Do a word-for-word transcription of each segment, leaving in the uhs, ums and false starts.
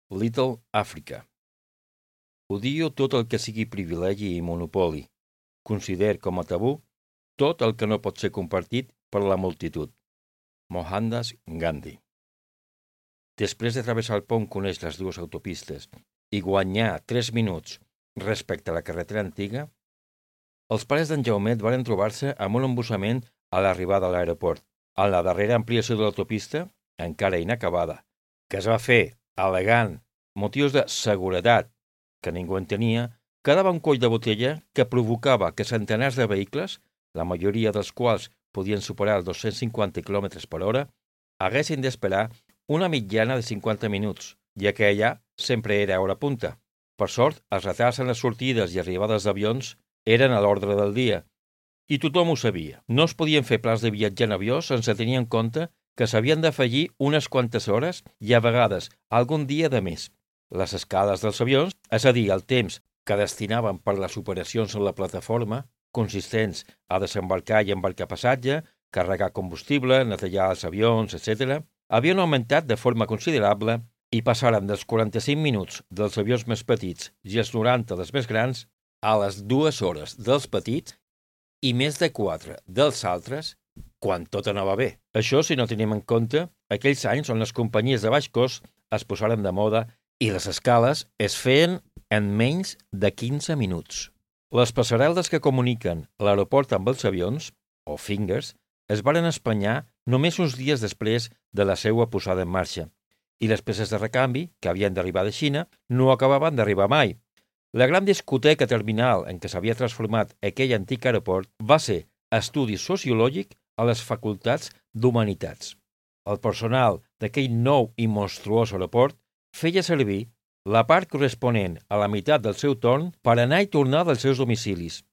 Little Africa. Odio tot el que sigui privilegi i monopoli. Considero com a tabú tot el que no pot ser compartit per la multitud. Mohandas Gandhi. Després de travessar el pont que uneix les dues autopistes i guanyar tres minuts respecte a la carretera antiga, els pares d'en Jaumet van trobar-se amb un embussament a l'arribada a l'aeroport, en la darrera ampliació de l'autopista, encara inacabada, que es va fer al·legant motius de seguretat que ningú entenia, quedava un coll de botella que provocava que centenars de vehicles, la majoria dels quals podien superar els dos-cents cinquanta quilòmetres per hora, haguessin d'esperar una mitjana de cinquanta minuts, ja que allà sempre era hora punta. Per sort, els retards en les sortides i arribades d'avions eren a l'ordre del dia, i tothom ho sabia. No es podien fer plans de viatjar en avió sense tenir en compte que s'havien d'afegir unes quantes hores i a vegades algun dia de més. Les escales dels avions, és a dir, el temps que destinaven per les operacions en la plataforma, consistents a desembarcar i embarcar passatge, carregar combustible, netejar els avions, etcètera, havien augmentat de forma considerable i passaren dels quaranta-cinc minuts dels avions més petits i els noranta dels més grans a les dues hores dels petits i més de quatre dels altres quan tot anava bé. Això si no tenim en compte aquells anys on les companyies de baix cost es posaren de moda i les escales es feien en menys de quinze minuts. Les passarel·les que comuniquen l'aeroport amb els avions, o fingers, es varen espanyar només uns dies després de la seva posada en marxa, i les peces de recanvi, que havien d'arribar de Xina, no acabaven d'arribar mai. La gran discoteca terminal en què s'havia transformat aquell antic aeroport va ser estudi sociològic a les facultats d'Humanitats. El personal d'aquell nou i monstruós aeroport feia servir la part corresponent a la meitat del seu torn per anar i tornar dels seus domicilis.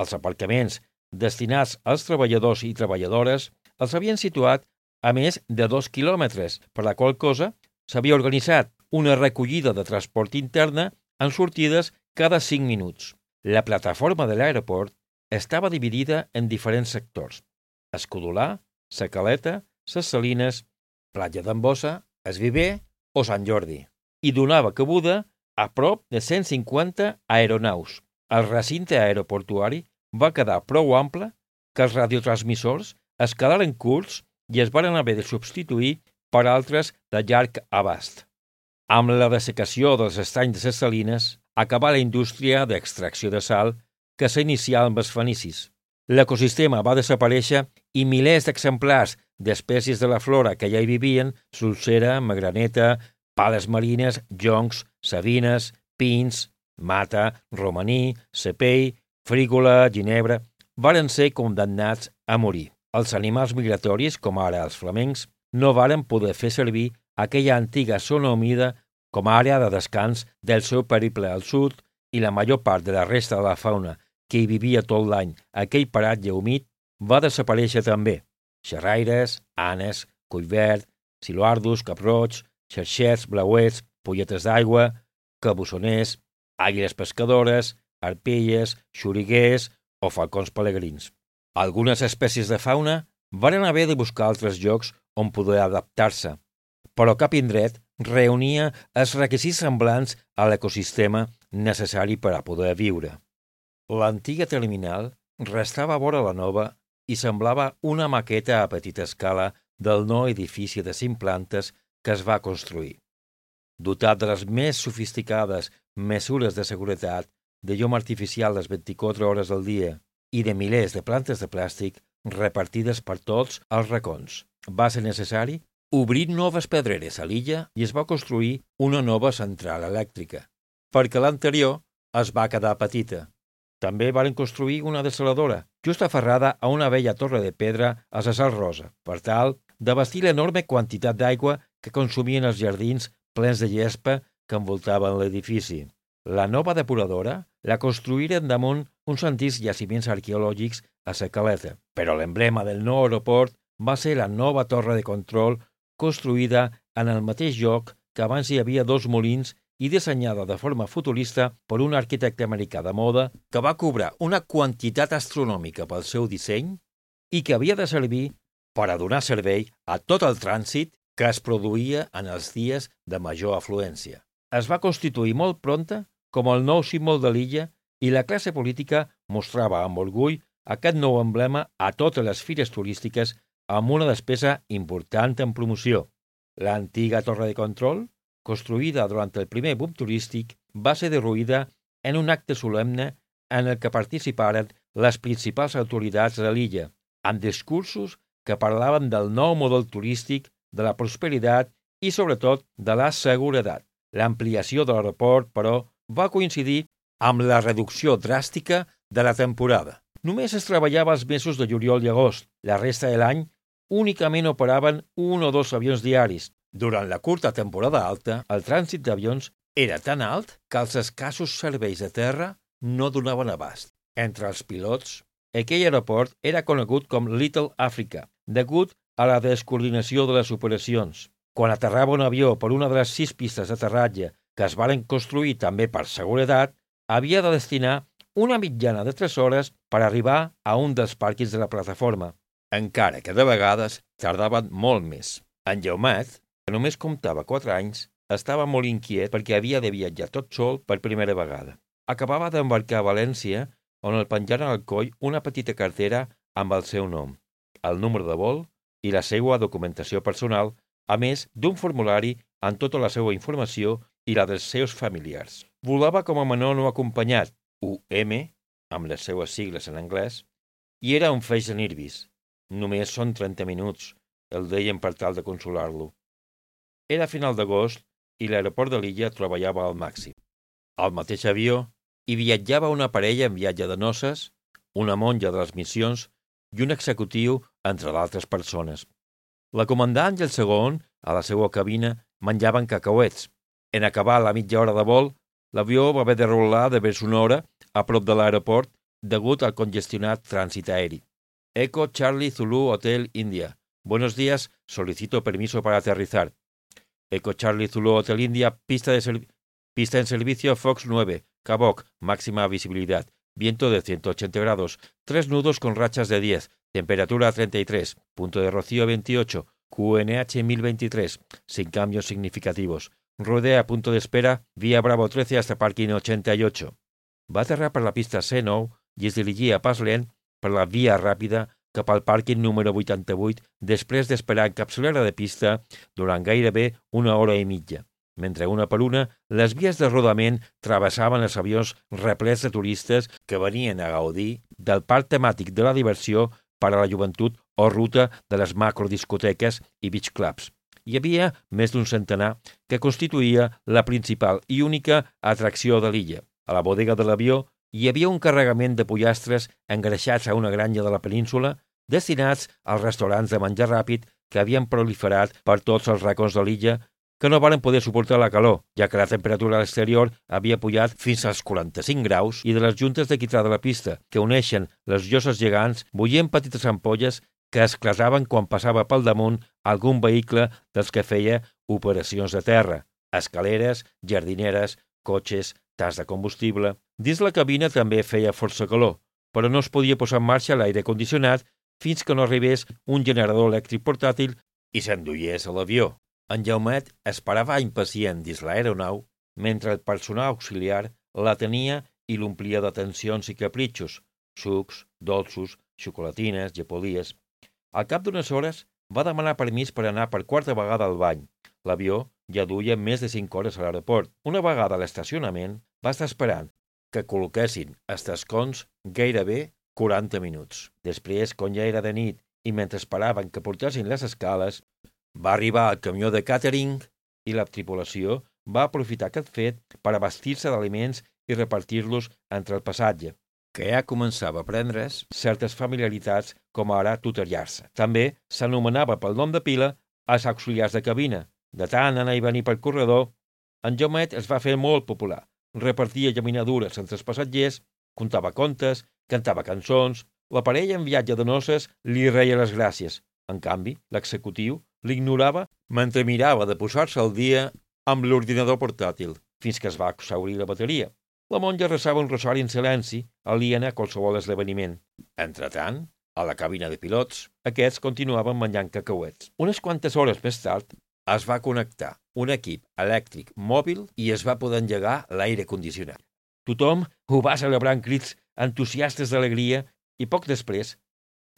Els aparcaments destinats als treballadors i treballadores els havien situat a més de dos quilòmetres, per la qual cosa s'havia organitzat una recollida de transport interna en sortides cada cinc minuts. La plataforma de l'aeroport estava dividida en diferents sectors: Escudolà, Sa Caleta, Ses Salines, Platja d'en Bossa, Es Viver o Sant Jordi, i donava cabuda a prop de cent cinquanta aeronaus. El recinte aeroportuari va quedar prou ample que els radiotransmissors es quedaren curts i es van haver de substituir per altres de llarg abast. Amb la dessecació dels estanys de Ses Salines, acabà la indústria d'extracció de sal que s'inicià amb els fenicis. L'ecosistema va desaparèixer i milers d'exemplars d'espècies de la flora que ja hi vivien, solsera, magraneta, pales marines, joncs, savines, pins, mata, romaní, cepell, frígola, ginebra, varen ser condemnats a morir. Els animals migratoris, com ara els flamencs, no varen poder fer servir aquella antiga zona humida com a àrea de descans del seu periple al sud i la major part de la resta de la fauna que hi vivia tot l'any aquell paratge humit va desaparèixer també. Xerraires, anes, collverd, siluardus, caproig, xerxets, blauets, polletes d'aigua, cabussoners, àguiles pescadores, arpelles, xoriguers o falcons pelegrins. Algunes espècies de fauna varen haver de buscar altres llocs on poder adaptar-se, però cap indret reunia els requisits semblants a l'ecosistema necessari per a poder viure. L'antiga terminal restava a vora la nova i semblava una maqueta a petita escala del nou edifici de cinc plantes que es va construir. Dotat de les més sofisticades mesures de seguretat, de llum artificial les vint-i-quatre hores del dia i de milers de plantes de plàstic repartides per tots els racons, va ser necessari obrir noves pedreres a l'illa i es va construir una nova central elèctrica, perquè l'anterior es va quedar petita. També van construir una desaladora, just aferrada a una vella torre de pedra a Cesar Rosa, per tal d'abastir l'enorme quantitat d'aigua que consumien els jardins plens de gespa que envoltaven l'edifici. La nova depuradora la construïren damunt uns antics jaciments arqueològics a Sa Caleta, però l'emblema del nou aeroport va ser la nova torre de control construïda en el mateix lloc que abans hi havia dos molins i dissenyada de forma futurista per un arquitecte americà de moda que va cobrar una quantitat astronòmica pel seu disseny i que havia de servir per a donar servei a tot el trànsit que es produïa en els dies de major afluència. es va constituir molt prompte com el nou símbol de l'illa i la classe política mostrava amb orgull aquest nou emblema a totes les fires turístiques amb una despesa important en promoció. L'antiga torre de control, construïda durant el primer boom turístic, va ser derruïda en un acte solemne en el que participaren les principals autoritats de l'illa, amb discursos que parlaven del nou model turístic, de la prosperitat i, sobretot, de la seguretat. L'ampliació de l'aeroport, però, va coincidir amb la reducció dràstica de la temporada. Només es treballava els mesos de juliol i agost. La resta de l'any únicament operaven un o dos avions diaris. Durant la curta temporada alta, el trànsit d'avions era tan alt que els escassos serveis de terra no donaven abast. Entre els pilots, aquell aeroport era conegut com Little Africa, degut a la descoordinació de les operacions. Quan aterrava un avió per una de les sis pistes d'aterratge que es varen construir també per seguretat, havia de destinar una mitjana de tres hores per arribar a un dels pàrquings de la plataforma, encara que de vegades tardaven molt més. En Jaumet, que només comptava quatre anys, estava molt inquiet perquè havia de viatjar tot sol per primera vegada. Acabava d'embarcar a València, on el penjaren al coll una petita cartera amb el seu nom, el número de vol i la seva documentació personal, a més d'un formulari amb tota la seva informació i la dels seus familiars. Volava com a menor no acompanyat, U M, amb les seues sigles en anglès, i era un feix de nervis. Només són trenta minuts, el deien per tal de consolar-lo. Era final d'agost i l'aeroport de l'illa treballava al màxim. Al mateix avió hi viatjava una parella en viatge de noces, una monja de les missions i un executiu, entre d'altres persones. La comandant i el segon, a la seva cabina, menjaven cacauets. En acabar la mitja hora de vol, l'avió va haver de rolar de vers una hora a prop de l'aeroport degut al congestionat trànsit aeri. Eco Charlie Zulu Hotel India. Buenos días, solicito permiso para aterrizar. Eco Charlie Zulu Hotel India, pista, de serv- pista en servicio Fox nueve, Cabok, máxima visibilidad, viento de ciento ochenta grados, tres nudos con rachas de diez, temperatura treinta y tres, punto de rocío veintiocho, Q N H mil veintitrés, sin cambios significativos. Rodea punto de espera, vía Bravo trece hasta parking ochenta y ocho. Va aterrar per la pista C nou i es dirigia a pas lent per la via ràpida cap al pàrquing número vuitanta-vuit després d'esperar en capçalera de pista durant gairebé una hora i mitja, mentre una per una les vies de rodament travessaven els avions replets de turistes que venien a gaudir del parc temàtic de la diversió per a la joventut o ruta de les macrodiscoteques i beach clubs. Hi havia més d'un centenar que constituïa la principal i única atracció de l'illa. A la bodega de l'avió hi havia un carregament de pollastres engreixats a una granja de la península destinats als restaurants de menjar ràpid que havien proliferat per tots els racons de l'illa que no varen poder suportar la calor, ja que la temperatura a l'exterior havia pujat fins als quaranta-cinc graus i de les juntes de quitrà de la pista que uneixen les lloses gegants bullien petites ampolles que esclataven quan passava pel damunt algun vehicle dels que feia operacions de terra, escaleres, jardineres, cotxes, tas de combustible. Dins la cabina també feia força calor, però no es podia posar en marxa l'aire condicionat fins que no arribés un generador elèctric portàtil i s'enduiés a l'avió. En Jaumet esperava impacient dins l'aeronau mentre el personal auxiliar la tenia i l'omplia d'atencions i capritxos, sucs, dolços, xocolatines, gepolies. Al cap d'unes hores va demanar permís per anar per quarta vegada al bany. L'avió ja duia més de cinc hores a l'aeroport. Una vegada a l'estacionament va estar esperant que col·loquessin els tascons gairebé quaranta minuts. Després, quan ja era de nit i mentre esperaven que portessin les escales, va arribar el camió de càtering i la tripulació va aprofitar aquest fet per abastir-se d'aliments i repartir-los entre el passatge, que ja començava a prendre's certes familiaritats com ara tutoriar-se. També s'anomenava pel nom de pila els auxiliars de cabina. De tant anar i venir pel corredor, en Jaumet es va fer molt popular. Repartia llaminadures entre els passatgers, contava contes, cantava cançons. La parella en viatge de noces li reia les gràcies. En canvi, l'executiu l'ignorava mentre mirava de posar-se al dia amb l'ordinador portàtil, fins que es va exhaurir la bateria. La monja resava un rosari en silenci, aliena a qualsevol esdeveniment. Entretant, a la cabina de pilots, aquests continuaven menjant cacauets. Unes quantes hores més tard, es va connectar un equip elèctric mòbil i es va poder engegar l'aire condicionat. Tothom ho va celebrar amb crits entusiastes d'alegria i poc després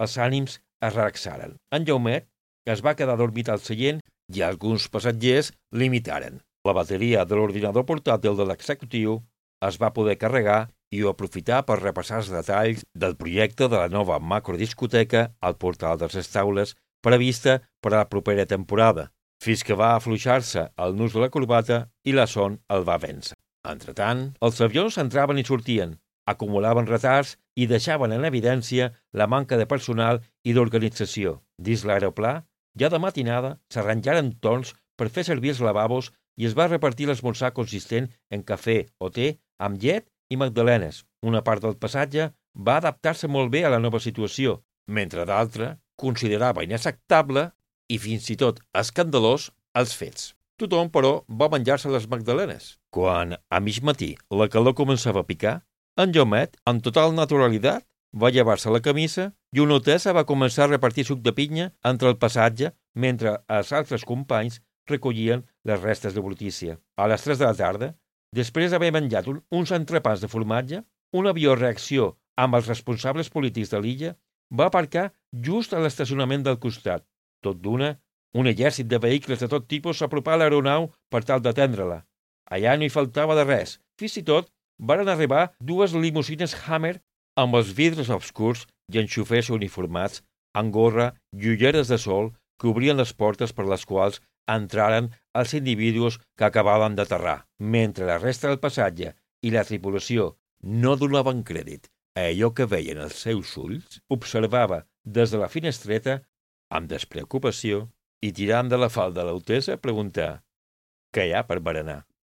els ànims es relaxaren. En Jaumet es va quedar dormit al seient i alguns passatgers l'imitaren. La bateria de l'ordinador portàtil de l'executiu es va poder carregar i ho aprofitar per repassar els detalls del projecte de la nova macrodiscoteca al portal de les taules prevista per a la propera temporada, fins que va afluixar-se el nus de la corbata i la son el va vèncer. Entretant, els avions entraven i sortien, acumulaven retards i deixaven en evidència la manca de personal i d'organització. Dins l'aeroplà, ja de matinada, s'arranjaren torns per fer servir els lavabos i es va repartir l'esmorzar consistent en cafè o te amb llet i magdalenes. Una part del passatge va adaptar-se molt bé a la nova situació, mentre d'altra considerava inacceptable i fins i tot escandalós els fets. Tothom, però, va menjar-se les magdalenes. Quan, a mig matí, la calor començava a picar, en Jaumet, amb total naturalitat, va llevar-se la camisa i una hotessa va començar a repartir suc de pinya entre el passatge mentre els altres companys recollien les restes de brutícia. A les tres de la tarda, després d'haver menjat un, uns entrepans de formatge, un avió reacció amb els responsables polítics de l'illa va aparcar just a l'estacionament del costat. Tot d'una, un exèrcit de vehicles de tot tipus s'apropà a l'aeronau per tal d'atendre-la. Allà no hi faltava de res. Fins i tot varen arribar dues limusines Hammer amb els vidres obscurs i en xofers uniformats, amb gorra i ulleres de sol que obrien les portes per les quals entraren els individus que acabaven d'aterrar, mentre la resta del passatge i la tripulació no donaven crèdit a allò que veien els seus ulls, observava des de la finestreta amb despreocupació i tirant de la falda l'hotessa preguntar «Què hi ha per berenar?»